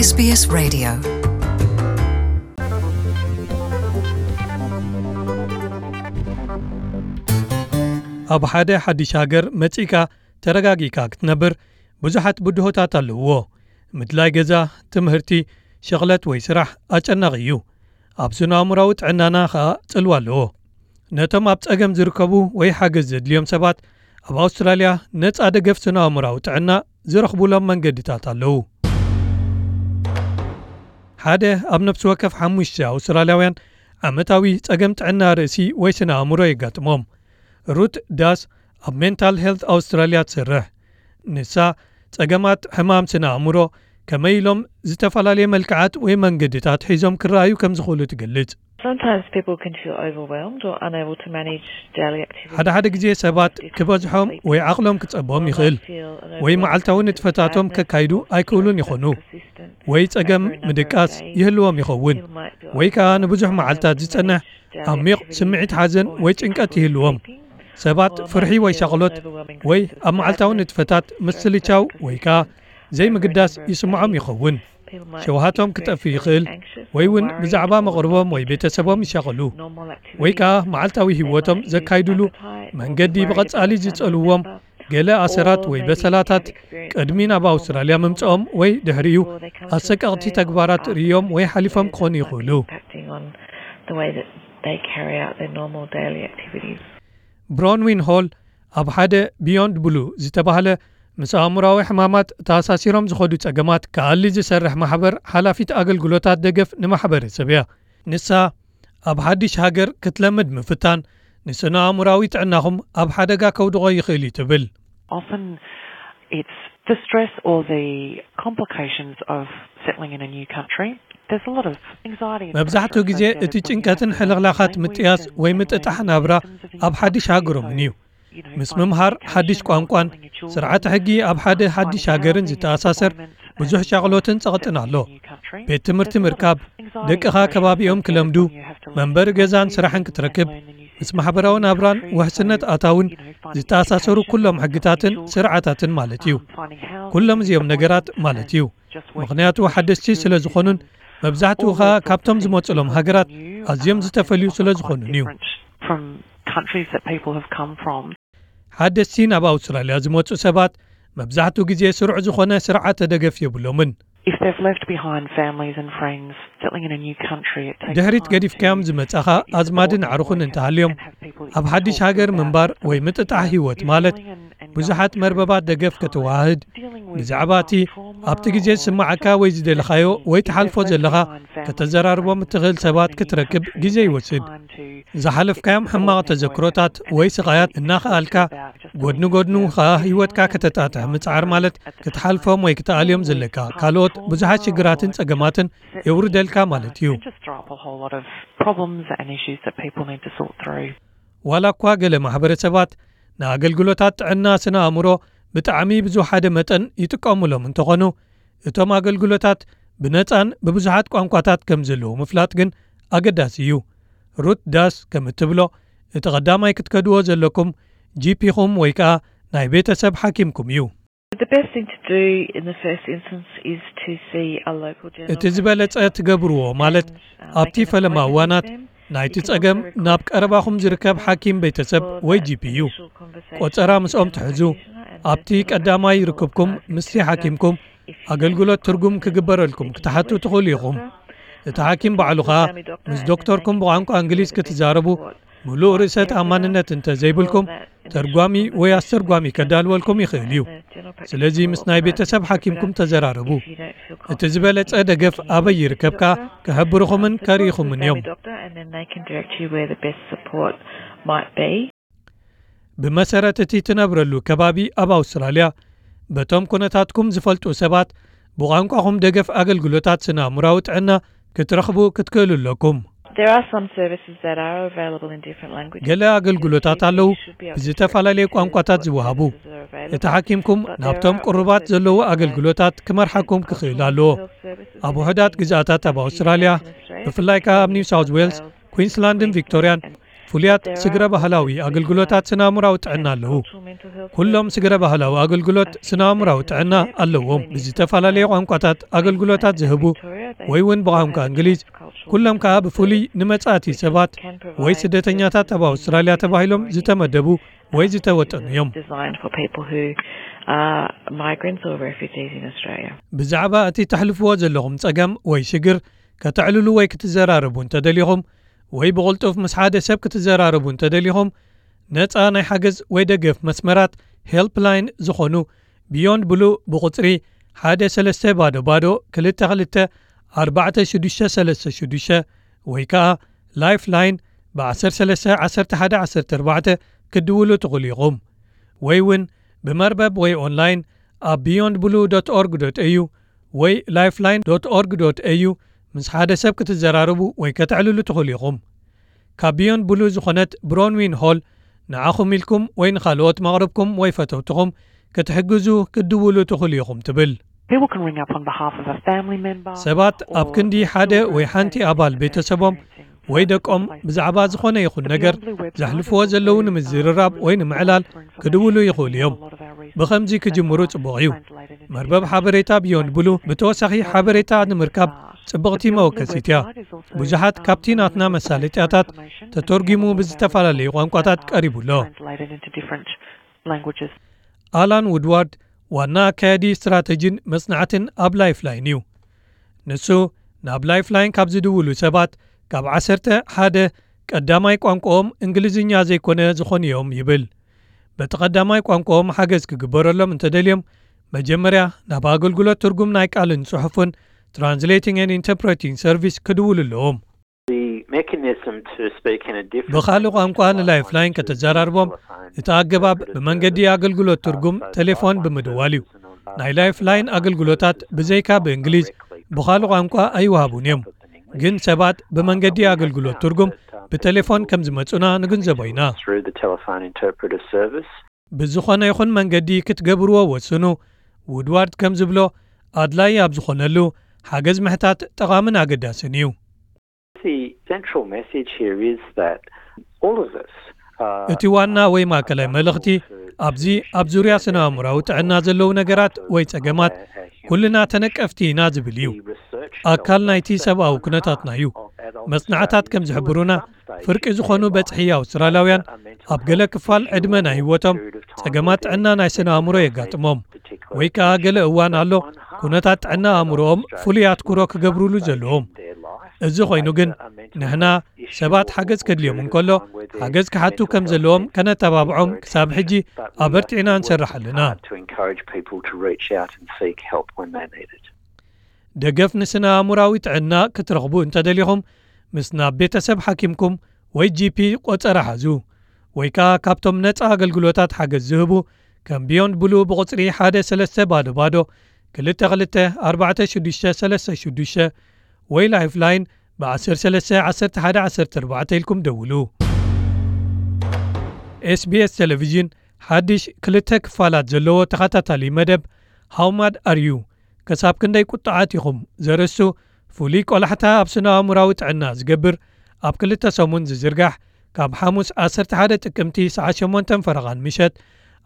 SBS Radio. ኣብ ሓደ ሓድሽ ሃገር መጺእካ ተረጋጊእካ ክትነብር ብዙሓት ብድሆታት ኣለውዎ። ምድላይ ገዛ፣ ትምህርቲ፣ ሸቕለት ወይ ስራሕ ኣጨናቒ እዩ። ኣብ ስነ-ኣእምሮኣዊ ጥዕናና ኸኣ ጽልዋ ኣለዎ። ነቶም ኣብ ጸገም ዝርከቡ ወይ ሓገዝ ዘድልዮም ሰባት ኣብ ኣውስትራልያ ነጻ ደገፍ ስነ-ኣእምሮኣዊ ጥዕና ዝረኽቡሎም መንገድታት ኣለዉ። ሓደ ኣብ ነፍሲ ወከፍ ሓሙሽተ ኣውስትራልያውያን ዓመታዊ ጸገም ጥዕና ርእሲ ወይ ስነ-ኣእምሮ የጋጥሞም። ሩት ዳስ ኣብ ሜንታል ሄልት ኣውስትራልያ ትሰርሕ። ንሳ ጸገማት ሕማም ስነ-ኣእምሮ ከመይ ኢሎም ዝተፈላለየ መልክዓት ወይ መንገድታት ሒዞም ክረኣዩ ከም ዝኽእሉ ትገልጽ። Sometimes people can feel overwhelmed or unable to manage daily activities. ሓደ ሓደ ግዜ ሰባት ክበዝሖም ወይ ዓቕሎም ክጸቦም ይኽእል፣ ወይ መዓልታዊ ንጥፈታቶም ከካይዱ ኣይክእሉን ይኾኑ፣ ወይ ጸገም ምድቃስ ይህልዎም ይኸውን፣ ወይ ከኣ ንብዙሕ መዓልታት ዝጸንሕ ዓሚቕ ስምዒት ሓዘን ወይ ጭንቀት ይህልዎም። ሰባት ፍርሒ ወይ ሻቕሎት ወይ ኣብ መዓልታዊ ንጥፈታት ምስልቻው ወይ ከኣ ዘይምግዳስ ይስምዖም ይኸውን። ሸውሃቶም ክጠፍእ ይኽእል፣ ወይ እውን ብዛዕባ መቕርቦም ወይ ቤተሰቦም ይሻቐሉ። ወይ ከኣ መዓልታዊ ህይወቶም ዘካይዱሉ መንገዲ ብቐጻሊ ዝጸልዎም ገለ ኣሰራት ወይ በሰላታት፣ ቅድሚ ናብ ኣውስትራልያ ምምጽኦም ወይ ድሕሪኡ ኣሰቀቕቲ ተግባራት ርእዮም ወይ ሓሊፎም ክኾኑ ይኽእሉ። Impacting on the way that they carry out their normal daily activities. ብሮንዊን ሆል ኣብ ሓደ ቢዮንድ ብሉ ዝተባህለ ምስ ኣእምሮኣዊ ሕማማት ተኣሳሲሮም ዝኸዱ ጸገማት ክኣሊ ዝሰርሕ ማሕበር ሓላፊት ኣገልግሎታት ደገፍ ንማሕበረሰብ እያ። ንሳ ኣብ ሓድሽ ሃገር ክትለምድ ምፍታን ንስነ ኣእምሮኣዊ ጥዕናኹም ኣብ ሓደጋ ከውድቖ ይኽእል እዩ ትብል። Often it's the stress or the complications of settling in a new country. There's a lot of anxiety and መብዛሕትኡ pressure ግዜ associated እቲ with ጭንቀትን ሕልኽላኻት ምጥያስ ወይ ምጥጣሕ ናብራ ኣብ ሓድሽ ሃገሮምን እዩ። ምስ ምምሃር ሓድሽ ቋንቋን ስርዓተ ሕጊ ኣብ ሓደ ሓድሽ ሃገርን ዝተኣሳሰር ብዙሕ ሻቕሎትን ጸቕጥን ኣሎ። ቤት ትምህርቲ ምርካብ፣ ደቅኻ ከባቢኦም ክለምዱ፣ መንበሪ ገዛን ስራሕን ክትረክብ፣ ምስ ማሕበራዊ ናብራን ውሕስነት ኣታውን ዝተኣሳሰሩ ኩሎም ሕግታትን ስርዓታትን ማለት እዩ። ኩሎም እዚኦም ነገራት ማለት እዩ። ምኽንያቱ ሓደስቲ ስለ ዝኾኑን መብዛሕትኡ ኸኣ ካብቶም ዝመጹሎም ሃገራት ኣዝዮም ዝተፈልዩ ስለ ዝኾኑን እዩ። From countries that people have come from. ሓደስቲ ናብ ኣውስትራልያ ዝመጹ ሰባት መብዛሕትኡ ግዜ ስሩዕ ዝኾነ ስርዓተ ደገፍ የብሎምን። If they've left behind families and friends, settling in a new country, it takes ድሕሪት time ገዲፍካዮም to ዝመጻኻ ኣዝማድን ኣዕሩኽን እንተሃልዮም፣ ኣብ ሓድሽ ሃገር ምንባር ወይ ምጥጣሕ ህይወት ማለት ብዙሓት መርበባት ደገፍ ከተወሃህድ፣ ብዛዕባ እቲ ኣብቲ ግዜ ዝስምዓካ ወይ ዝደለኻዮ ወይ ትሓልፎ ዘለኻ ከተዘራርቦም እትኽእል ሰባት ክትረክብ ግዜ ይወስድ። ዝሓለፍካዮም ሕማቕ ተዘክሮታት ወይ ስቓያት እናኸኣልካ፣ ጎድኒ ጎድኑ ኸኣ ህይወትካ ከተጣጥሕ ምጽዓር ማለት ክትሓልፎም ወይ ክትኣልዮም ዘለካ ካልኦት ብዙሓት ሽግራትን ጸገማትን የውርደልካ ማለት እዩ። Just drop a whole lot of problems and issues that people need to sort through. ዋላ እኳ ገለ ማሕበረሰባት ንኣገልግሎታት ጥዕና ስነ ኣእምሮ ብጣዕሚ ብዝወሓደ መጠን ይጥቀሙሎም እንተኾኑ፣ እቶም ኣገልግሎታት ብነጻን ብብዙሓት ቋንቋታት ከም ዘለዉ ምፍላጥ ግን ኣገዳሲ እዩ። ሩት ዳስ ከም እትብሎ፣ እቲ ቀዳማይ ክትከድዎ ዘለኩም ጂፒኹም ወይ ከኣ ናይ ቤተሰብ ሓኪምኩም እዩ። The best thing to do in the first instance is to see a local general እቲ ዝበለጸ ትገብርዎ ማለት ኣብቲ ፈለማ እዋናት ናይቲ ጸገም ናብ ቀረባኹም ዝርከብ ሓኪም ቤተሰብ ወይ ጂፒ እዩ። ቆጸራ ምስኦም ትሕዙ። ኣብቲ ቀዳማይ ርክብኩም ምስቲ ሓኪምኩም ኣገልግሎት ትርጉም ክግበረልኩም ክትሓቱ ትኽእሉ ኢኹም። እቲ ሓኪም ባዕሉ ኸኣ ምስ ዶክተርኩም ብቋንቋ እንግሊዝ ክትዛረቡ ምሉእ ርእሰ ተኣማንነት እንተ ዘይብልኩም፣ ተርጓሚ ወይ ኣስተርጓሚ ከዳልወልኩም ይኽእል እዩ። ስለዚ ምስ ናይ ቤተሰብ ሓኪምኩም ተዘራረቡ። እቲ ዝበለጸ ደገፍ ኣበይ ይርከብካ ክሕብርኹምን ከርእይኹምን እዮም። ብመሰረት እቲ ትነብረሉ ከባቢ ኣብ ኣውስትራልያ፣ በቶም ኩነታትኩም ዝፈልጡ ሰባት ብቋንቋኹም ደገፍ ኣገልግሎታት ስነ ኣእምራዊ ጥዕና ክትረኽቡ ክትክእሉ ኣለኩም። There are some services that are available in different languages. ገለ ኣገልግሎታት ኣለዉ ብዝተፈላለየ ቋንቋታት ዝወሃቡ። እቲ ሓኪምኩም ናብቶም ቅሩባት ዘለዉ ኣገልግሎታት ክመርሓኩም ክኽእል ኣለዎ። ኣብ ውሑዳት ግዝኣታት ኣብ ኣውስትራልያ፣ ብፍላይ ከኣ ኣብ ኒው ሳውዝ ዌልስ፣ ኩዊንስላንድን ቪክቶርያን፣ ፍሉያት ስግረ ባህላዊ ኣገልግሎታት ስነ ኣእምራዊ ጥዕና ኣለዉ። ኩሎም ስግረ ባህላዊ ኣገልግሎት ስነ ኣእምራዊ ጥዕና ኣለዎም። ብዝተፈላለየ ቋንቋታት ኣገልግሎታት ዝህቡ ወይ እውን ብቋንቋ እንግሊዝ፣ ኩሎም ከኣ ብፍሉይ ንመጻእቲ ሰባት ወይ ስደተኛታት ኣብ ኣውስትራልያ ተባሂሎም ዝተመደቡ ወይ ዝተወጠኑ እዮም። Designed for people who are migrants or refugees in Australia. ብዛዕባ እቲ ተሕልፍዎ ዘለኹም ጸገም ወይ ሽግር ከተዕልሉ ወይ ክትዘራረቡ እንተደሊኹም ወይ ብቕልጡፍ ምስ ሓደ ሰብ ክትዘራረቡ እንተደሊኹም ነጻ ናይ ሓገዝ ወይ ደገፍ መስመራት ሄልፕላይን ዝኾኑ ቢዮንድ ብሉ ብቑጽሪ ሓደ ሰለስተ ባዶ ባዶ ክልተ ክልተ ኣርባዕተ ሽዱሽተ ሰለስተ ሽዱሽተ ወይ ከኣ ላይፍላይን ብ13 11 14 ክትድውሉ ትኽእሉ ኢኹም። ወይ እውን ብመርበብ ወይ ኦንላይን ኣብ beyond blue dot org dot au ወይ lifeline dot org dot au ምስ ሓደ ሰብ ክትዘራረቡ ወይ ከተዕልሉ ትኽእሉ ኢኹም። ካብ ቢዮንድ ብሉ ዝኾነት ብሮንዊን ሆል ንዓኹም ኢልኩም ወይ ንኻልኦት መቕርብኩም ወይ ፈተውትኹም ክትሕግዙ ክትድውሉ ትኽእሉ ኢኹም ትብል። People can ring up on behalf of a family member. ሰባት ኣብ ክንዲ ሓደ ወይ ሓንቲ ኣባል ቤተሰቦም ወይ ደቆም ብዛዕባ ዝኾነ ይኹን ነገር ዘሕልፍዎ ዘለዉ ንምዝርራብ ወይ ንምዕላል ክድውሉ ይኽእሉ እዮም። ብኸምዚ ክጅምሩ ጽቡቕ እዩ። መርበብ ሓበሬታ ቢዮንድ ብሉ ብተወሳኺ ሓበሬታ ንምርካብ ጽብቕቲ መወከሲት እያ። ብዙሓት ካብቲ ናትና መሳለጥያታት ተተርጒሙ ብዝተፈላለዩ ቋንቋታት ቀሪቡ ኣሎ። Translated into different languages. ኣላን ውድዋርድ ዋና ኣካያዲ ስትራተጂን መጽናዕትን ኣብ ላይፍላይን እዩ። ንሱ ናብ ላይፍላይን ካብ ዝድውሉ ሰባት ካብ ዓሰርተ ሓደ ቀዳማይ ቋንቋኦም እንግሊዝኛ ዘይኮነ ዝኾኑ እዮም ይብል። በቲ ቀዳማይ ቋንቋኦም ሓገዝ ክግበረሎም እንተደልዮም መጀመርያ ናብ ኣገልግሎት ትርጉም ናይ ቃልን ጽሑፍን Translating and Interpreting Service ክድውሉ ኣለዎም። The mechanism to speak in a different ብኻልእ ቋንቋ ንላይፍላይን ከተዘራርቦም እቲ ኣገባብ ብመንገዲ ኣገልግሎት ትርጉም ቴሌፎን ብምድዋል እዩ። ናይ ላይፍላይን ኣገልግሎታት ብዘይካ ብእንግሊዝ ብኻልእ ቋንቋ ኣይወሃቡን እዮም። ግን ሰባት ብመንገዲ ኣገልግሎት ትርጉም ብቴሌፎን ከም ዝመጹና ንግንዘቦ ኢና። Through the telephone interpreter service. ብዝኾነ ይኹን መንገዲ ክትገብርዎ ወስኑ። ውድዋርድ ከም ዝብሎ ኣድላይ ኣብ ዝኾነሉ ሓገዝ ምሕታት ጠቓምን ኣገዳስን እዩ። The central message here is that all of us are እቲ ዋና ወይ ማእከላይ መልእኽቲ ኣብዚ ኣብ ዙርያ ስነ ኣእምራዊ ጥዕና ዘለዉ ነገራት ወይ ጸገማት ኩልና ተነቀፍቲ ኢና ዝብል እዩ። ኣካል ናይቲ ሰብኣዊ ኩነታትና እዩ። መጽናዕታት ከም ዝሕብሩና ፍርቂ ዝኾኑ በጽሒ ኣውስትራልያውያን ኣብ ገለ ክፋል ዕድመ ናይ ህይወቶም ጸገማት ጥዕና ናይ ስነ ኣእምሮ የጋጥሞም ወይ ከኣ ገለ እዋን ኣሎ ኩነታት ጥዕና ኣእምሮኦም ፍሉይ ኣትኩሮ ክገብሩሉ ዘለዎም። እዚ ኮይኑ ግን ንሕና ሰባት ሓገዝ ከድልዮም እንከሎ ሓገዝ ክሓቱ ከም ዘለዎም ከነተባብዖም ክሳብ ሕጂ ኣበርቲዕና ንሰርሕ ኣለና። To encourage people to reach out and seek help when they need it. ደገፍ ንስነ ኣእምራዊ ጥዕና ክትረኽቡ እንተደሊኹም ምስ ናብ ቤተሰብ ሓኪምኩም ወይ ጂፒ ቆጸራ ሓዙ ወይ ከኣ ካብቶም ነጻ ኣገልግሎታት ሓገዝ ዝህቡ ከም ቢዮንድ ብሉ ብቑጽሪ ሓደ ሰለስተ ባዶ ባዶ ክልተ ክልተ ኣርባዕተ ሽዱሽተ ሰለስተ ሽዱሽተ ወይ ላይፍላይን ብ13 11 14 ኢልኩም ደውሉ። SBS ቴሌቪዥን ሓድሽ ክልተ ክፋላት ዘለዎ ተኸታታሊ መደብ ሃው ማድ ኣር ዩ ከሳብ ክንደይ ቁጥዓት ኢኹም ዘርእስቱ ፍሉይ ቆላሕታ ኣብ ስነ ኣእምራዊ ጥዕና ዝገብር ኣብ ክልተ ሰሙን ዝዝርጋሕ ካብ ሓሙስ ዓሰርተ ሓደ ጥቅምቲ ሰዓት ሸሞንተ ፈረቓን ምሸት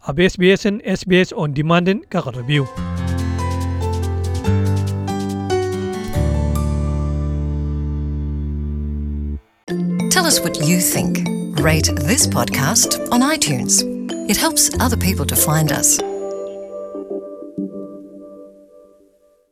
ኣብ SBS ን SBS On Demand ን ከቕርብ እዩ። Tell us what you think. Rate this podcast on iTunes. It helps other people to find us.